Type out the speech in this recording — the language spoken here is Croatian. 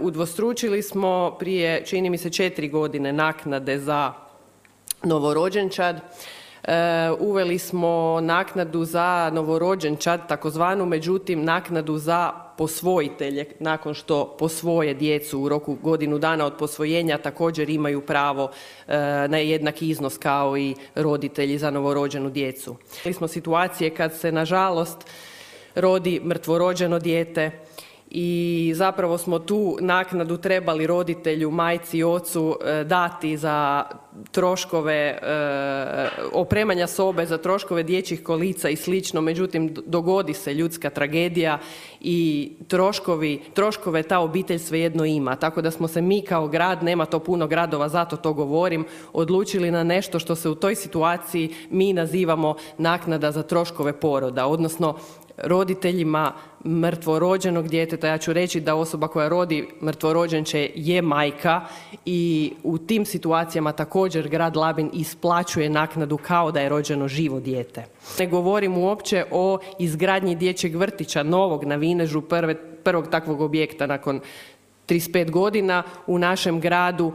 Udvostručili smo prije, čini mi se, 4 godine naknade za novorođenčad. Uveli smo naknadu za novorođenčad, takozvanu, međutim naknadu za posvojitelje nakon što posvoje djecu u roku godinu dana od posvojenja također imaju pravo na jednaki iznos kao i roditelji za novorođenu djecu. Imali smo situacije kad se nažalost rodi mrtvorođeno dijete i zapravo smo tu naknadu trebali roditelju, majci i ocu dati za troškove opremanja sobe, za troškove dječjih kolica i slično, međutim dogodi se ljudska tragedija i troškove ta obitelj svejedno ima. Tako da smo se mi kao grad, nema to puno gradova, zato to govorim, odlučili na nešto što se u toj situaciji mi nazivamo naknada za troškove poroda, odnosno roditeljima mrtvorođenog djeteta. Ja ću reći da osoba koja rodi mrtvorođenče je majka i u tim situacijama također grad Labin isplaćuje naknadu kao da je rođeno živo dijete. Ne govorim uopće o izgradnji dječjeg vrtića novog na Vinežu, prvog takvog objekta nakon 35 godina u našem gradu.